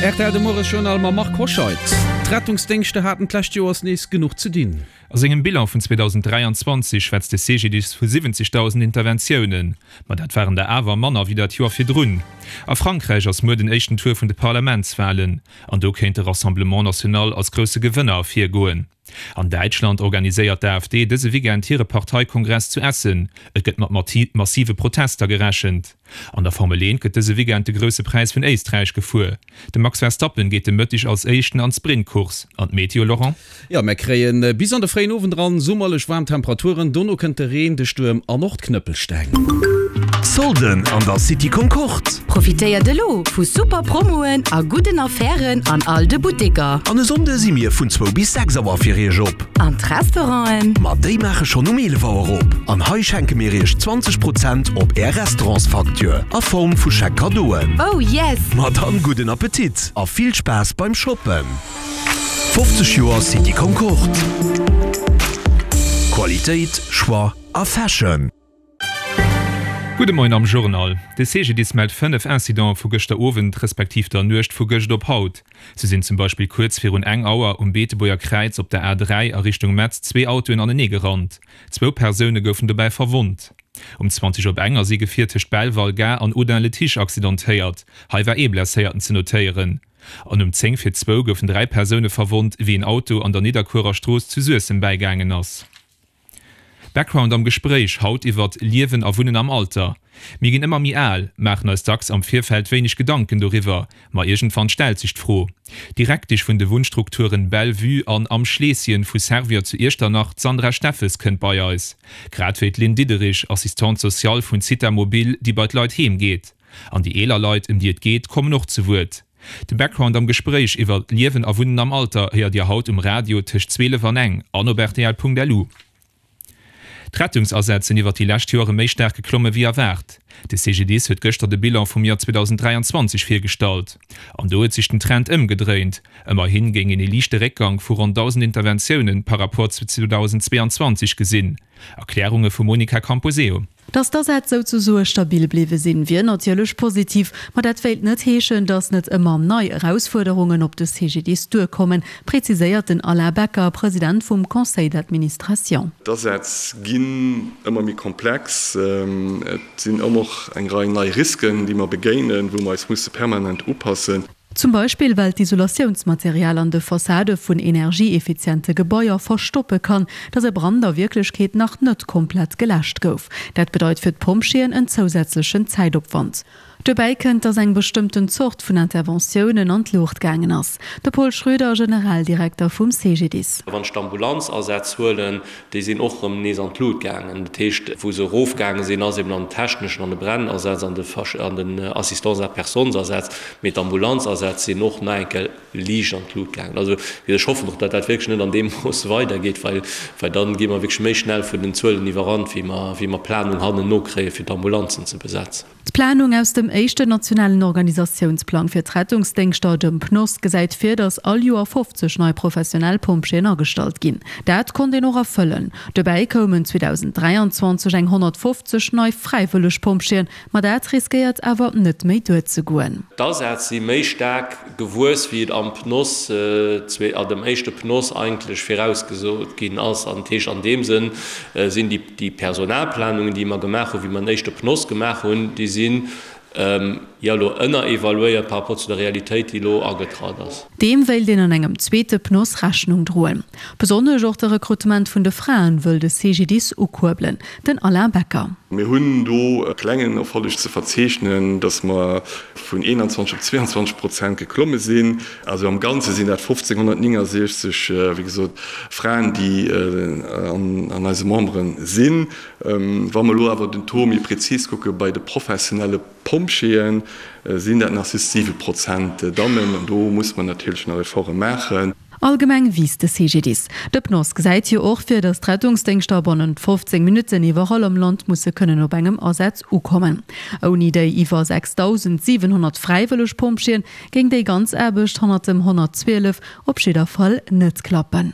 Rtl de Moiesjournal mam Marc Hoscheid. D'Rettungsdéngschter haten d'lescht Joers nees genuch ze dinn. A sengem Bilan vun 2023 schwätzt de CGDIS vu 70.000 Interventiounen. Ma dat waren der awer manner wéi dat Joer virdrun. A Frankräich ass muer den éischten Tour vun de Parlamentswalen. An do kéint de Rassemblement National als grousse Gewënner ervirgoen. An Däitschland organiséiert d'AfD dëse Weekend hire Parteikongress zu Essen. Et gëtt mat massive Protester gerechent. An der Formel 1 gëtt dëse Weekend de Grousse Präis vun Éisträich gefuer. De Max Verstappen geet de Mëtteg als Éischten an d'Sprintcourse. An d'Meteo, Laurent? Jo, mär kréien bis an de fréien Owend eran summerlech waarm Temperaturen. Dono kënnt de Reen, de Stuerm an och d'Knëppelsteng. Solden an der City Concorde! Profitéiert elo vu super Promoen a gudden Affären an all de Butteker. An e Sonnde si mir vun zwou bis 6 Auer fir iech op. An d'Restauranten? Ma déi maache schonn um 11 Auer op. An hei schenke mir iech 20 Prozent op är Restaurantsfacture a Form vu Chèque Cadeauen. Oh yes! Ma dann gudden Appetit a vill Spaass beim Shoppen! 50 Joer City Concorde. Qualitéit, Choix a Fashion. Gudde Moien am Journal. De CGDIS mellt 5 Incidente vu gëschter Owend, respektiv der Nuecht vu gëscht op haut. Sou sinn zum Beispill kuerz virun eng Auer um Beetebuerger Kräiz op der A3 a Richtung Metz zwee Autoen anenee gerannt. Zwou Persoune goufen dobäi verwonnt. Um 20 op eng ass ee Gefier tëscht Belval-Gare an Audun-le-Tiche accidentéiert. Hei war ee Blesséierten ze notéieren. An um 10 fir zwou goufen 3 Persoune verwonnt, wéi en Auto an der Nidderkuerer Strooss zu Suessem bäigaangen ass. Background am Gespréich haut iwwert Liewen a Wunnen am Alter. Mir ginn ëmmer méi al, maachen eis dacks am Virfeld wéineg Gedanken doriwwer, ma iergendwann stellt sech d'Fro. D'Direktesch vun de Wunnstrukturen Belle Vue an Am Schleesschen vu Servior zu Iechternach, d'Sandra Steffes, kënnt bei eis. Grad wéi d'Lynn Diderich, Assistante sociale vun Zitha Mobil, déi bei d'Leit heem geet. An déi eeler Leit, ëm déi et geet, kommen och zu Wuert. De Background am Gespréich iwwer Liewen a Wunnen am Alter héiert Dir haut um Radio tëscht 12 an eng an op rtl.lu. D'Rettungsasätz sinn iwwer déi lescht Joere méi staark geklomme wéi erwaart. De CGDIS huet gëschter de Bilan vum Joer 2023 virgestallt. An do huet sech den Trend ëmgedréint. Ëmmerhi géing een ee liichte Réckgank vu ronn 1.000 Interventioune par Rapport zu 2022 gesinn. Erklärunge vum Monica Camposeo. Datt d'Asätz souzesoe stabil bliwwe sinn, wier natierlech positiv, ma dat wéilt net heeschen, datt net ëmmer nei Erausfuerderungen op de CGDIS duerkommen, preziséiert den Alain Becker, President vum Conseil d'administration. D'Asätz ginn ëmmer méi komplex. Et sinn ëmmer och eng Rei nei Risken, déi mer begéinen, wou mer eis musse permanent upassen. Zum Beispill well d'Isolatiounsmaterial an de Fassade vun energieeffiziente Gebaier verstoppe kann, datt e Brand a Wierklechkeet nach net komplett geläscht gouf. Dat bedeit fir d'Pompjeeën en zousätzlechen Zäitopwand. Dobäi kënnt, datt eng bestëmmten Zort vun Interventiounen an d'Luucht gaangen ass. De Paul Schröder, Generaldirekter vum CGDIS. Wann ech d'Ambulanzasätz huelen, Déi sinn och erëm nees an d'Lut gaangen. Dat heescht, wou se erofgaange sinn, ass eben an den techneschen, an de Brennasaz, an den Assistance à personnes-Asätz. Mee d'Ambulanzasätz sinn och nach eng Kéier liicht an d'Lut gaangen. Also, ech hoffen och, datt dat wierklech net an deem Mooss weidergeet, well da gi mer wierklech méi schnell vun den Zuelen iwwerrannt, wéi mer Planung hannenno kréien, fir d'Ambulanzen ze besetzen. D'Planung aus dem éischten nationalen Organisatiounsplang fir d'Rettungsdéngschter, dem PNOS, gesäit vir, datt all Joer 50 nei professionell Pompjeeën agestallt ginn. Dat konnt een och erfëllen. Dobäi koumen 2023 eng 150 nei fräiwëlleg Pompjeeën, ma dat riskéiert awer net méi duerzegoen. D'Asätz si méi staark gewuess, wéi et am PNOS, a dem éischte PNOS eigentlech virausgesot ginn ass. An dat heescht, an deem Sënn sinn déi Déi Personalplanungen, déi mer gemaach hunn, wéi mer den éischte PNOS gemaach hunn, déi sinn, jo, elo ënnerevaluéiert par rapport zu der Realitéit, déi elo agetratt ass. Deem wéilt een an engem zweete PNOS Rechnung droen. Besonnesch och de Rekrutement vun de Fraen wëll de CGDIS ukuerbelen. Den Alain Becker. Mir hunn do e klengen Erfolleg ze verzeechnen, dass mer vun 21 op 22 Prozent geklomme sinn. Also am Ganze sinn dat 1.569, wéi gesot, Fraen, déi an eise Membere sinn. Wa mer elo awer den Taux méi prezis kucke bei de professionelle Pompjeeën, sinn dat nach just 7 Prozent Dammen. An do muss mer natierlech nach Efforte maachen. Allgemeng wiisst de CGDIS. De PNOS gesäit jo och vir, datt d'Rettungsdéngschter bannent 15 Minutten iwwerall am Land musse kënnen op engem Asaz ukommen. Ouni déi iwwer 6.700 fräiwëlleg Pompjeeën Géing déi ganz Aarbecht hannert dem 112 op jidder Fall net klappen.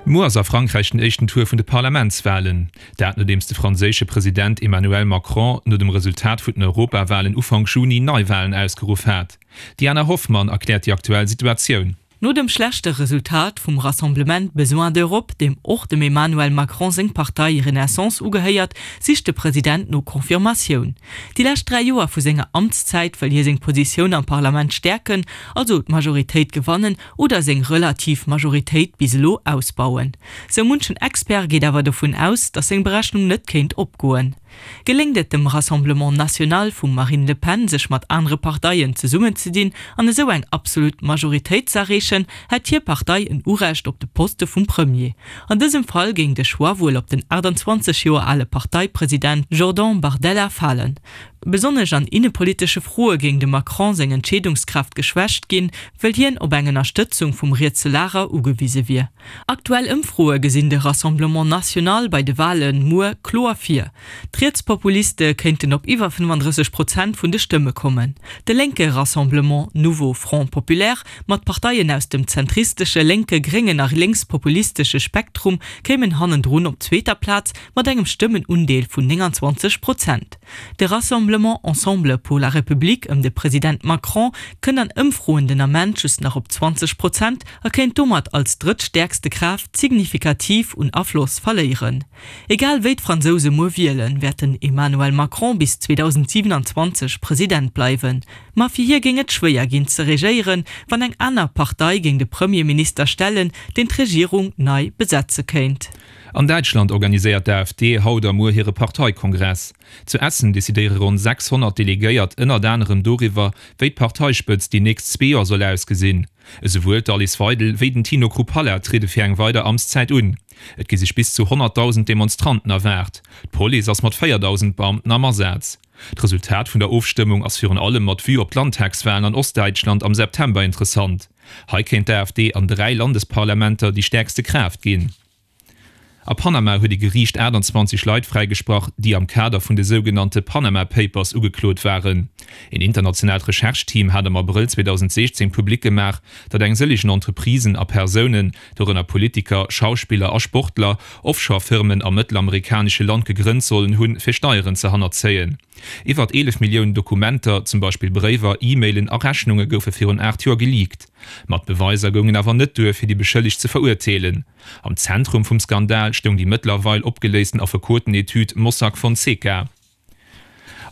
Muer ass a Frankräich den éischten Tour vun de Parlamentswalen. Dat nodeems de franséische President Emmanuel Macron no dem Resultat vun den Europawalen Ufank Juni Neiwalen ausgeruff hat. D'Diana Hoffmann erkläert déi aktuell Situatioun. No dem schlechte Resultat vum Rassemblement Besoin d'Europe, deem och dem Emmanuel Macron seng Partei Renaissance ugehéiert, sicht de President no Confirmatioun. Déi lescht 3 Joer vu senger Amtszäit wëll hie seng Positioun am Parlament stäerken, also d'Majoritéit gewannen oder seng relativ Majoritéit bis elo ausbauen. Sou munchen Expert geet awer dovun aus, datt seng Berechnung net kéint opgoen. Geléngt et dem Rassemblement National vum Marine Le Pen sech mat anere Parteien zesummenzedinn an esou eng absolut Majoritéit z'erreechen, hätt hir Partei en Urecht op de Poste vum Premier. An dësem Fall géing de Choix wuel op den 28 Joer ale Parteipresident Jordan Bardella falen. Besonnesch an innepolitesche Froe géing dem Macron seng Entscheedungskraaft geschwächt ginn, wëll hien op eng Ënnerstëtzung vum rietse Lager ugewise wier. Aktuell Ëmfroe gesinn de Rassemblement National bei de Wale muer kloer vir. D'Rietspopuliste kéinten op iwwer 35 Prozent vun de Stëmme kommen. De lénke Rassemblement Nouveau Front Populaire mat Parteien aus dem zentristesche, lénke, gréngen a lénkspopulistesche Spektrum kéimen hannendrun op zweeter Plaz mat engem Stëmmenundeel vun 29 Prozent. De Rassemblement Ensemble pour la République ëm de President Macron kënnt an Ëmfroen den Ament just nach op 20 Prozent a kéint domat als drëttstäerkste Kraaft signifikativ un Afloss verléieren. Egal wéi d'Fransouse muer wielen, wäert den Emmanuel Macron bis 2027 President bleiwen. Ma fir hie géing et schwéier ginn ze regéieren, wann eng aner Partei géing de Premierminister stellen, deen d'Regierung nei besetze kéint. An Däitschland organiséiert d'AfD haut a muer hire Parteikongress. Zu Essen decidéiere ronn 600 Delegéiert ënnert anerem doriwwer, wéi d'Parteispëtzt déi nächst zwee Joer soll ausgesinn. Esouwuel d'Alice Weidel wéi den Tino Chrupalla triede fir eng weider Amtszäit un. Et gi sech bis zu 100.000 Demonstranten erwaart. D'Police ass mat 4.000 Beamten am Asaz. D'Resultat vun der Ofstëmmung ass virun allem mat Vue op d'Landtagswalen an Ostdäitschland am September interessant. Hei kéint d'AfD an 3 Landesparlamenter déi stäerkste Kraaft ginn. A Panama huet e Geriicht 28 Leit fräigesprach, déi am Kader vun de sougenannte Panama Papers ugeklot waren. Een internationaalt Recherche-Team hat am Abrëll 2016 public gemaach, datt eng sëllegen Entreprisen a Persounen, dorënner Politiker, Schauspiller a Sportler, Offshore-Firmen am mëttelamerikanesche Land gegrënnt sollen hunn, fir Steieren ze hannerzéien. Iwwert 11 Milliounen Dokumenter, zum Beispill Bréiwer, E-Mailen a Rechnunge goufe virun 8 Joer geleakt. Ma d'Beweiser goungen awer net duer, fir déi Beschëllegt ze verurteelen. Am Zentrum vum Skandal stoung déi mëttlerweil opgeléisten Affekoten-Etüd Mossack Fonseca.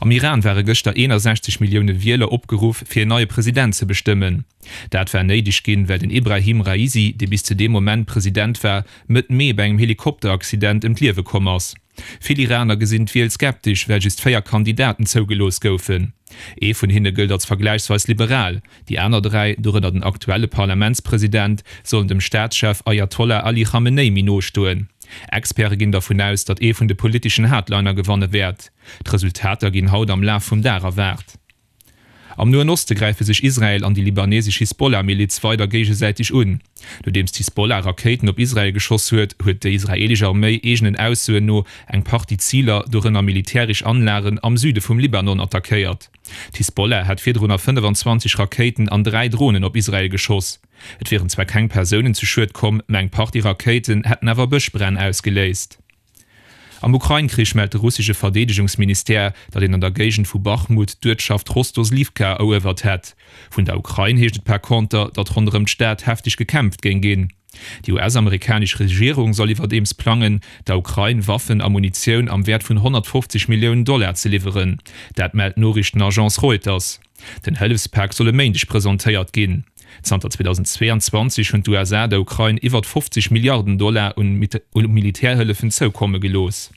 Am Iran ware gëschter 61 Millioune Wieler opgeruff, fir en neie President ze bestëmmen. Dat war néideg ginn, well den Ebrahim Raisi, dee bis zu deem Moment President war, Mëtt Mee bei engem Helikopteraccident ëm d'Liewe komm ass. Vill Iraner gesinn d'Wiel skeptesch, well just 4 Kandidaten zougelooss goufen. Ee vun hinne gëllt als vergläichsweis liberal, déi aner 3, dorënner den aktuelle Parlamentspresident, sollen dem Staatschef Ayatollah Ali Khamenei méi no stoen. Experte ginn dervun aus, datt ee vun de politeschen Hardliner gewanne wäert. D'Resultater ginn haut am Laf vum Dag erwaart. Am Noen Oste gräife sech Israel an déi libanesesch Hisbollah-Miliz weider géigesäiteg un. Nodeems d'Hisbollah Rakéiten op Israel geschoss huet, huet déi israeelesch Arméi eegenen Aussoen no eng Partie Ziler, dorënner militäresch Anlagen, am Süde vum Libanon attackéiert. D'Hisbollah hat virdrunner 25 Rakéiten an 3 Dronen op Israel geschoss. Et wieren zwar keng Persounen zu Schued komm, mä eng Partie Rakéiten hätten awer Bëschbränn ausgeléist. Am Ukrain-Krich mellt de russesche Verdeedegungsministère, datt een an der Géigend vu Bachmut d'Uertschaft Rostoslivka eruewert hätt. Vun der Ukrain heescht et par conter, datt ronderëm d'Stad hefteg gekämpft géing ginn. Déi US-amerikanesch Regierung soll iwwerdeems plangen, der Ukrain Waffen a Munitioun am Wäert vun 150 Milliounen Dollar ze liwweren. Dat mellt d'Noriichtenagence Reuters. Den Hëllefspak soll e Méindeg presentéiert ginn. Zanter 2022 hunn d'USA der Ukrain iwwert 50 Milliarden Dollar un Militärhëllefen zoukomme gelooss.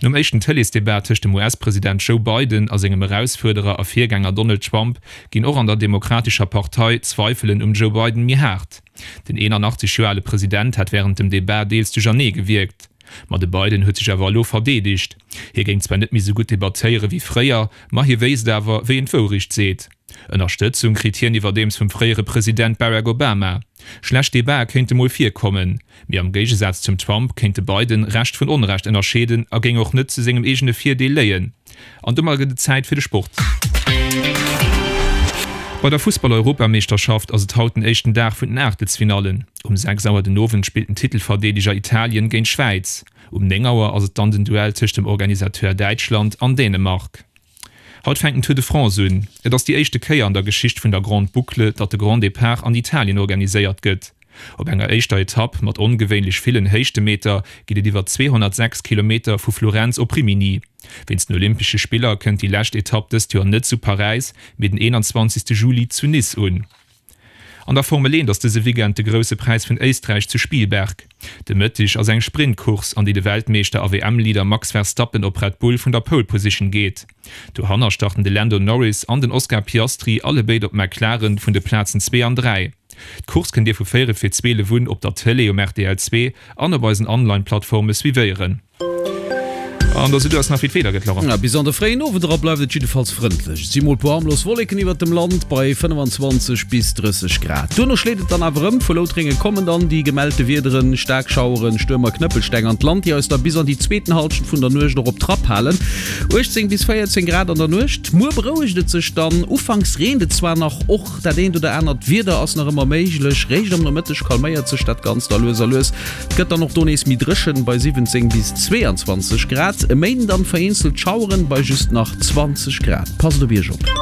Nom éischten Tëleesdebat tëscht dem US-President Joe Biden a sengem Erausfuerderer a Virgänger Donald Trump ginn och an der Demokratescher Partei d'Zweifelen um Joe Biden méi haart. Den 81 Joer ale President hat wärend dem Debat deels duerchernee gewierkt. Ma de Biden huet sech awer elo verdeedegt. Hie géing zwar net méi sou gutt debattéiere wéi fréier, ma hie wéisst awer, wéi een d'Wourecht seet. Ënnerstëtzung kritt hien iwwerdeems vum fréiere President Barack Obama. Schlecht Debate kéinte mol virkommen, mee am Géigesaz zum Trump kéint de Biden Recht vun Onrecht ënnerscheeden a géing och net zu sengem eegene Virdeel léien. An domat gëtt et Zäit fir de Sport. Bei der Fussball-Europameeschterschaft ass et haut den éischten Dag vun den Aachtelsfinallen. Um 6 Auer den Owend spillt den Titelverdeedeger Italien géint d'Schwäiz. Um 9 Auer ass et dann den Duell tëscht dem Organisateur Däitschland an Dänemark. Haut fänkt den Tour de France un. Et ass déi éischte Kéier an der Geschicht vun der Grande Boucle, datt de Grand Départ an Italien organiséiert gëtt. Op enger éischter Etapp mat ongewéinlech villen Héichtemeter geet et iwwer 206 Kilometer vu Florenz op Rimini. Wéinst den Olympesche Spiller kënnt déi lescht Etapp dëst Joer net zu Paräis, mee den 21. Juli zu Nice un. An der Formel 1 ass dëse Weekend de Grousse Präis vun Éisträich zu Spielberg. De Mëtteg ass eng Sprintcourse, an déi de Weltmeeschter a WM-Leader Max Verstappen op Red Bull vun der Pole Position geet. Dohanner starten de Lando Norris an den Oscar Piastri allebéid op McLaren vun de Plazen 2 an 3. D'Course kënnt Dir vu 4 vir 12 un op der Tëlee um rtl 2 an op eisen Online-Plattforme suivéieren. An da sidd ass nach wéi d'Weeder gëtt, Laurent. Bis an de fréien Owend era bleift et jiddefalls frëndlech. Et si mol puer harmlos Wolleken iwwert dem Land bei 25 bis 30 Grad. Duerno schléit et dann awer ëm. Vu Loutrénge kommen dann déi gemellte Wiederen, staark Schaueren, Stuerm a Knëppelsteng an d'Land, déi eis da bis an déi zweeten Hallschent vun der Nuecht och op Trapp halen. 18 bis 14 Grad an der Nuecht. Muer berouegt et sech dann. Ufanks reent et zwar nach, och dat eent oder anert Wieder ass nach ëmmer méiglech. Réischt am Nomëtteg calméiert sech dat Ganzt da lues a lues. Et gëtt dann och do nees méi dréchen, bei 17 bis 22 Grad. E Méinden dann vereenzelt Schaueren bei just nach 20 Grad. Passt op Iech op.